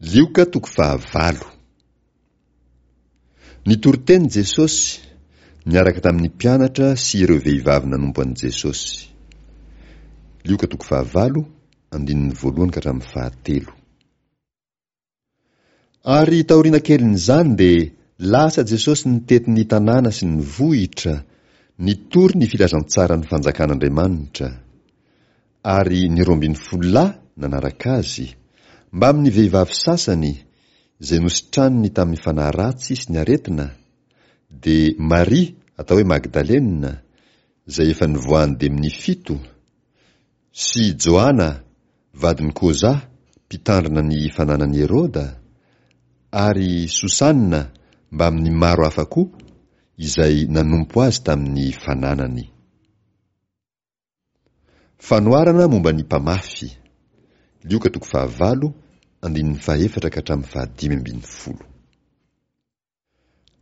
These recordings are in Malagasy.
Lioka toko fahavalo. Nitory teny Jesosy, niaraka tamin'ny mpianatra sy ireo vehivavy nanompo an'i Jesosy. Lioka toko fahavalo, andininy voalohany ka hatramin'ny fahatelo. Ary taoriana kelin'izany dia lasa Jesosy nitety ny tanàna sy ny vohitra, nitory ny filazantsaran'ny fanjakan'Andriamanitra. Ary ny 12 lahy nanaraka azy, mbamin'ny vehivavy sasany izay nositraniny tamin'ny fanahy ratsy sy ny aretina, dia Maria atao hoe Magdalena, izay efa nivoahan'ny demonia fito, Sy Joana, vadin'i Koza, mpitandrina ny fananan'i Heroda, ary Sosana mbamin'ny maro hafa koa, izay nanompo azy tamin'ny fananany. Fanoharana momba ny mpamafy, Lioka toko fahavalo, andininy fahefatra ka hatramin'ny fahadimy ambin'ny folo.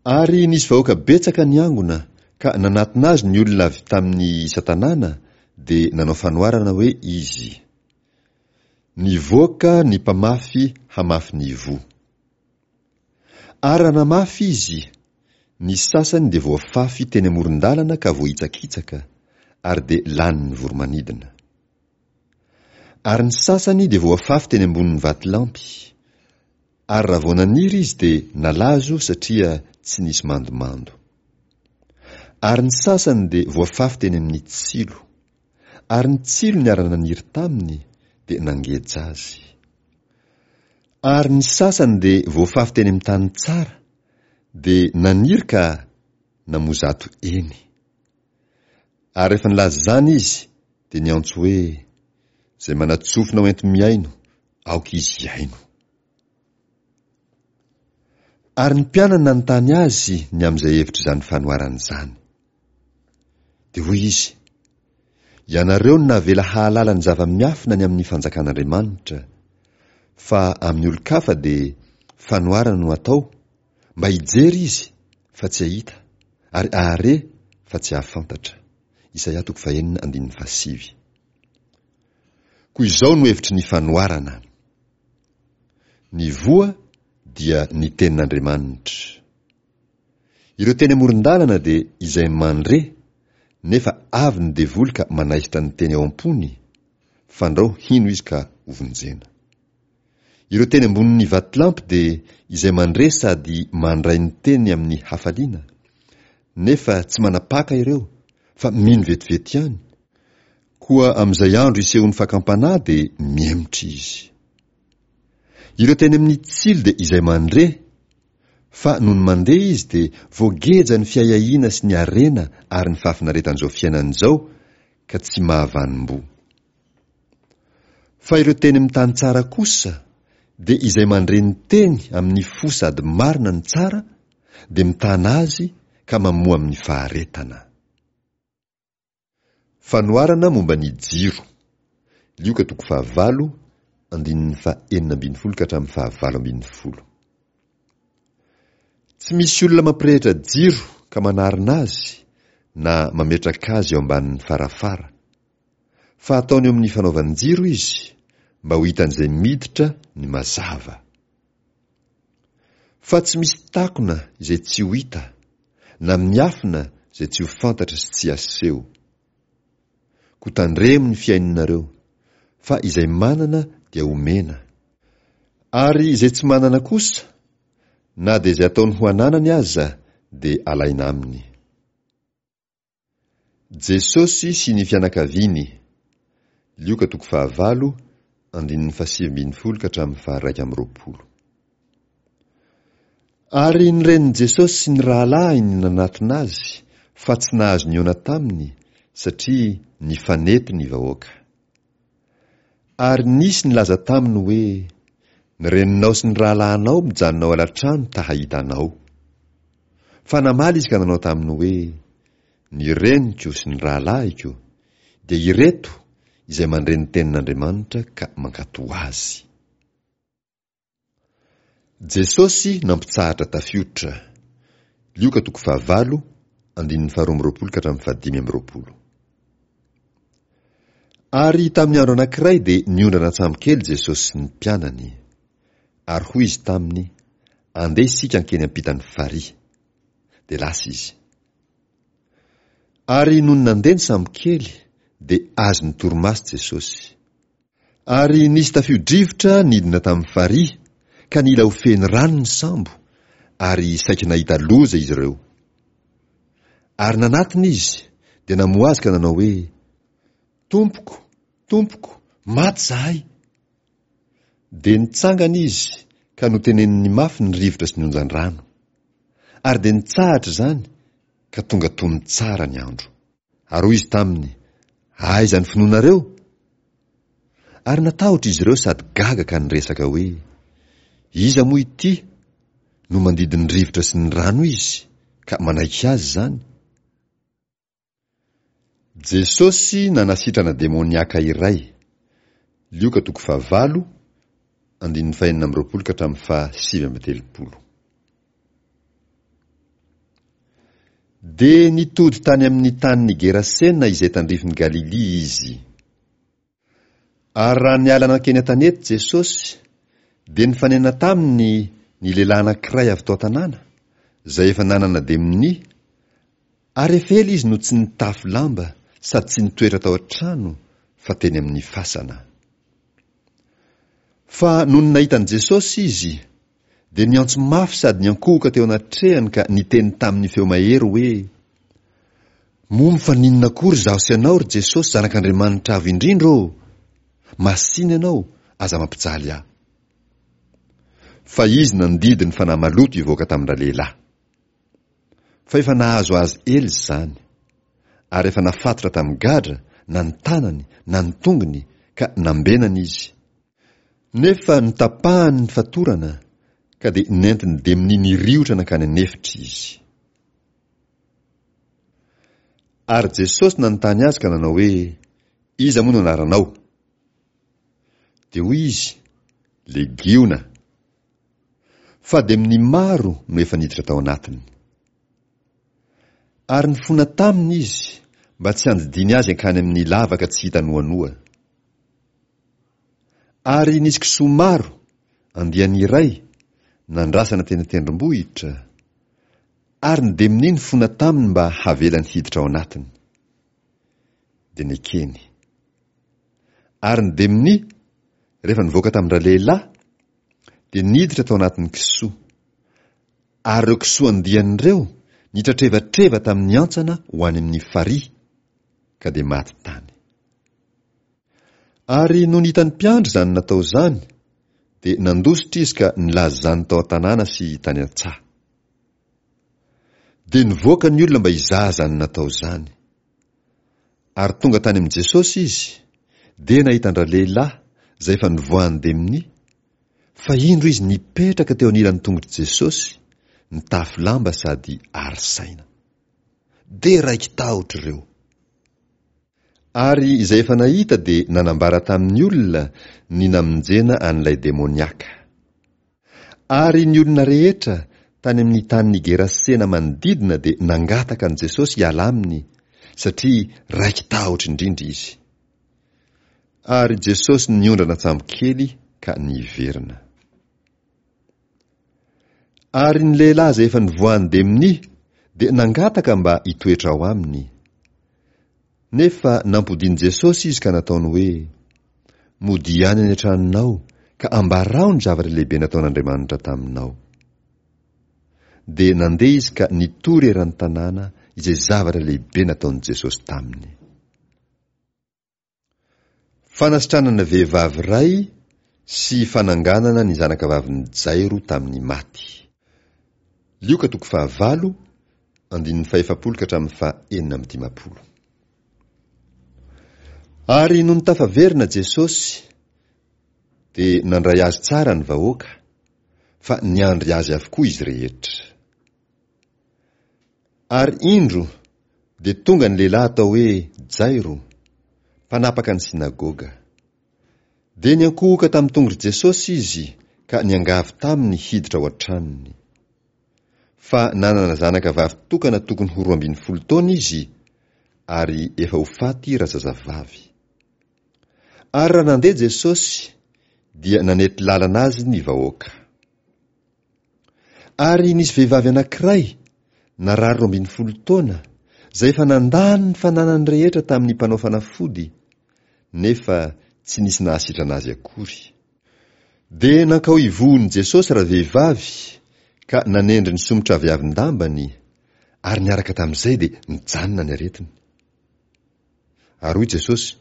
Ary nisy vahoaka betsaka niangona, ka nanatona azy ny olona avy tamin'ny isan-tanàna, dia nanao fanoharana hoe izy, Nivoaka ny mpamafy hamafy ny voa. Ary raha namafy izy, ny sasany dia voafafy teny amoron-dalana ka voahitsakitsaka, ary dia lanin'ny voro-manidina. Ary ny sasany dia voafafy teny ambonin'ny vatolampy, Ary raha vao naniry izy dia nalazo satria tsy nisy mandomando. Ary ny sasany dia voafafy teny amin'ny tsilo. Ary ny tsilo niara-naniry taminy dia nangeja azy. Ary ny sasany dia voafafy teny amin'ny tany tsara, dia naniry ka namoa zato eny. Ary rehefa nilaza izany izy dia niantso hoe, Izay manan-tsofina ho enti-mihaino, aoka izy hihaino. Ary ny mpianany nanontany azy ny amin'izay hevitr'izany fanoharana izany. Dia hoy izy, Ianareo no navela hahalala ny zava-miafina ny amin'ny fanjakan'Andriamanitra, fa amin'ny olon-kafa dia fanoharana no atao, mba hijery izy fa tsy hahita, ary hahare fa tsy hahafantatra. Isaia toko fahenina andininy fahasivy. Koa izao no hevitry ny fanoharana. Ny voa dia ny tenin'Andriamanitra. Ireo teny amoron-dalana dia izay mandre, nefa avy ny devoly ka manaisotra ny teny ao am-pony, fandrao hino izy ka hovonjena. Ireo teny ambonin'ny vatolampy dia izay mandre sady mandray ny teny amin'ny hafaliana, nefa tsy manapaka ireo fa mino vetivety ihany, Koa amin'izay andro isehoan'ny fakam-panahy dia mihemotra izy. Ireo teny amin'ny tsilo dia izay mandre, fa nony mandeha izy dia voageja ny fiahiahiana sy ny harena ary ny fahafinaretan'izao fiainana izao ka tsy mahavanom-boa. Fa ireo teny amin'ny tany tsara kosa dia izay mandre ny teny amin'ny fo sady marina no tsara dia mitana azy ka mamoa amin'ny faharetana. Fanoharana momba ny jiro. Lioka toko fahavalo, andininy faha-16 ka hatramin'ny faha-18. Tsy misy olona mampirehitra jiro ka manarona azy na mametraka azy eo ambanin'ny farafara. Fa ataony eo amin'ny fanaovan-jiro izy mba ho hitan'izay miditra ny mazava. Fa tsy misy takona izay tsy ho hita, na miafina izay tsy ho fantatra sy tsy aseho. Koa tandremo ny fihainonareo, fa izay manana dia omena. Ary izay tsy manana kosa, na dia izay ataony ho ananany aza dia alaina aminy. Jesosy sy ny fianakaviany, Lioka toko fahavalo, andininy fahasivy ambin'ny folo ka hatramin'ny faha-21. Ary ny renin'i Jesosy sy ny rahalahiny nanatona azy, fa tsy nahazo nihaona taminy, satria nifanety ny vahoaka. Ary nisy nilaza taminy hoe, Ny reninao sy ny rahalahinao mijanona ao alatrano ta hahita anao. Fa namaly izy ka nanao taminy hoe, Ny reniko sy ny rahalahiko dia ireto izay mandre ny tenin'Andriamanitra ka mankatò azy. Jesosy nampitsahatra tafiotra. Lioka toko fahavalo, andininy faharoa amby roapolo ka hatramin'ny fahadimy amby roapolo. Ary tamin'ny andro anankiray dia niondrana an-tsambokely Jesosy sy ny mpianany. Ary hoy izy taminy, Andeha isika hankeny ampitan'ny farihy. Dia lasa izy. Ary nony nandeha ny sambokely, dia azon'ny torimaso Jesosy. Ary nisy tafio-drivotra nidina tamin'ny farihy, ka nila ho feno rano ny sambo, ary saika nahita loza izy ireo. Ary nanatona izy, dia namoha azy ka nanao hoe, Tompoko, Tompoko, maty izahay! Dia nitsangana izy ka noteneniny mafy ny rivotra sy ny onjan-drano. Ary dia nitsahatra izany ka tonga tony tsara ny andro. Ary hoy izy taminy, Aiza ny finoanareo? Ary natahotra izy ireo sady gaga ka niresaka hoe, Iza moa ity no mandidy ny rivotra sy ny rano izy ka manaiky azy izany? Jesosy nanasitrana demoniaka iray, Lioka toko fahavalo, andininy fahenina amby roapolo ka hatramin'ny fahasivy amby telopolo. Dia nitody tany amin'ny tanin'i Gerasena izay tandrifin'i Galilia izy. Ary raha niala nankeny an-tanety Jesosy, dia nifanena taminy ny lehilahy anankiray avy tao an-tanàna, izay efa nanana demonia, ary efa ela izy no tsy nitafy lamba sady tsy nitoetra tao an-trano, fa teny amin'ny fasana. Fa nony nahita an'i Jesosy izy, dia niantso mafy sady niankohoka teo anatrehany ka niteny tamin'ny feo mahery hoe, Moa mifaninona akory izaho sy ianao, ry Jesosy Zanak'Andriamanitra Avo Indrindra ô? Masìna ianao, aza mampijaly ahy. Fa izy nandidy ny fanahy maloto hivoaka tamin-dralehilahy. Fa efa nahazo azy ela izany, ary efa nafatotra tamin'ny gadra na ny tanany na ny tongony ka nambenana izy. Nefa notapahany ny fatorana, ka dia nentin'ny demonia niriotra nankany an'efitra izy. Ary Jesosy nanontany azy ka nanao hoe, Iza moa no anaranao? Dia hoy izy, Legiona. Fa demonia maro no efa niditra tao anatiny. Ary nifona taminy izy, mba tsy handidiany azy hankany amin'ny lavaka tsy hita noanoa. Ary nisy kisoa maro, andiany iray, nandrasana teny an-tendrombohitra, ary ny demonia nifona taminy mba havelany hiditra ao anatiny. Dia nekeny. Ary ny demonia, rehefa nivoaka tamin-dralehilahy, dia niditra tao anatin'ny kisoa. Ary ireo kisoa andiany ireo nitratrevatreva tamin'ny hantsana ho any amin'ny farihy, ka dia maty tany. Ary nony hitan'ny mpiandry izany natao izany, dia nandositra izy ka nilaza izany tao an-tanàna sy tany an-tsaha. Dia nivoaka ny olona mba hizaha izany natao izany. Ary tonga tany amin'i Jesosy izy, dia nahita an-dralehilahy izay efa nivoahan'ny demonia, fa indro izy nipetraka teo anilan'ny tongotr'i Jesosy, nitafy lamba sady ary saina. Dia raiki-tahotra ireo. Ary izay efa nahita dia nanambara tamin'ny olona ny namonjena an'ilay demoniaka. Ary ny olona rehetra tany amin'ny tanin'i Gerasena manodidina dia nangataka an'i Jesosy hiala aminy, satria raiki-tahotra indrindra izy. Ary Jesosy niondrana an-tsambokely ka niverina. Ary ny lehilahy izay efa nivoahan'ny demonia dia nangataka mba hitoetra ao aminy. Nefa nampodian'i Jesosy izy ka nataony hoe, Modia any any an-tranonao ka ambarao ny zavatra lehibe nataon'Andriamanitra taminao. Dia nandeha izy ka nitory eran'ny tanàna izay zavatra lehibe nataon'i Jesosy taminy. Fanasitranana vehivavy iray sy fananganana ny zanakavavin'i Jairo tamin'ny maty. Lioka toko fahavalo, andininy fahefapolo ka hatramin'ny fahenina amby dimampolo. Ary nony tafaverina Jesosy, dia nandray azy tsara ny vahoaka, fa niandry azy avokoa izy rehetra. Ary indro, dia tonga ny lehilahy atao hoe Jairo, mpanapaka ny synagoga. Dia niankohoka tamin'ny tongotr'i Jesosy izy ka niangavy taminy hiditra ao an-tranony. Fa nanana zanaka vavy tokana tokony ho 12 taona izy, ary efa ho faty razazavavy. Ary raha nandeha Jesosy, dia nanety lalana azy ny vahoaka. Ary nisy vehivavy anankiray, narary 12 taona, izay efa nandany ny fananany rehetra tamin'ny mpanao fanafody, nefa tsy nisy nahasitrana azy akory. Dia nankao ivohon'i Jesosy ravehivavy ka nanendry ny somotraviavin-dambany, ary niaraka tamin'izay dia nijanona ny aretiny. Ary hoy Jesosy,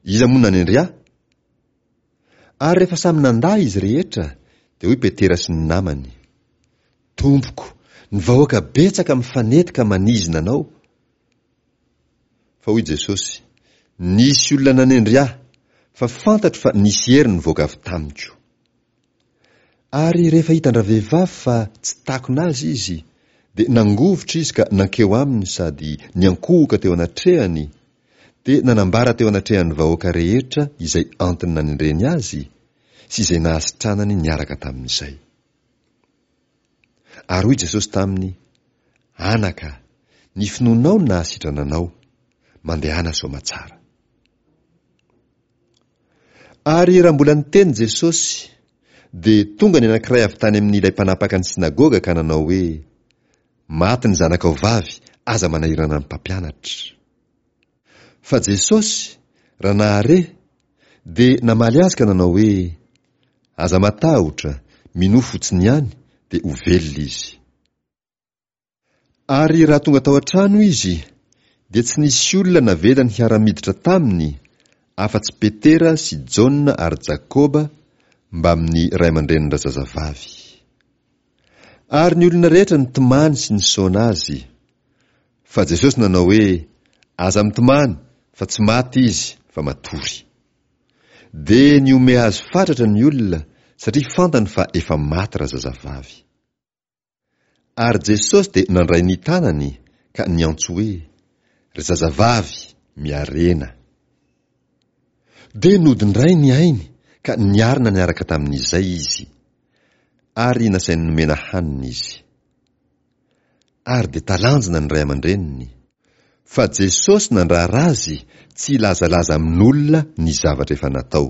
Iza moa nanendry ahy? Ary rehefa samy nandà izy rehetra, dia hoy Petera sy ny namany, Tompoko, ny vahoaka betsaka mifanety ka manizina anao. Fa hoy Jesosy, Nisy olona nanendry ahy, fa fantatro fa nisy hery nivoaka avy tamiko. Ary rehefa hitan-dravehivavy fa tsy takona azy izy, dia nangovitra izy ka nankeo aminy sady niankohoka teo anatrehany, dia nanambara teo anatrehan'ny vahoaka rehetra izay antony nanendreny azy sy izay nahasitranany niaraka tamin'izay. Ary hoy Jesosy taminy, Anaka, ny finoanao no nahasitrana anao, mandehana soamatsara. Ary raha mbola niteny Jesosy, dia tonga ny anankiray avy tany amin'ilay mpanapaka ny synagoga ka nanao hoe, Maty ny zanakao vavy, aza manahirana ny mpampianatra. Fa Jesosy, raha nahare, dia namaly azy ka nanao hoe, Aza matahotra, minoa fotsiny ihany, dia ho velona izy. Ary raha tonga tao an-trano izy, dia tsy nisy olona navelany hiara-miditra taminy, afa-tsy Petera sy Jaona ary Jakoba, mbamin'ny ray aman-drenin-drazazavavy. Ary ny olona rehetra nitomany sy nisaona azy. Fa Jesosy nanao hoe, Aza mitomany, fa tsy maty izy, fa matory. Dia nihomehy azy fatratra ny olona, satria fantany fa efa maty razazavavy. Ary Jesosy dia nandray ny tanany ka niantso hoe, Ry zazavavy, miarena. Dia nody indray ny ainy ka niarina niaraka tamin'izay izy. Ary nasainy nomena hanina izy. Ary dia talanjona ny ray aman-dreniny. Fa Jesosy nandrara azy tsy hilazalaza amin'olona ny zavatra efa natao.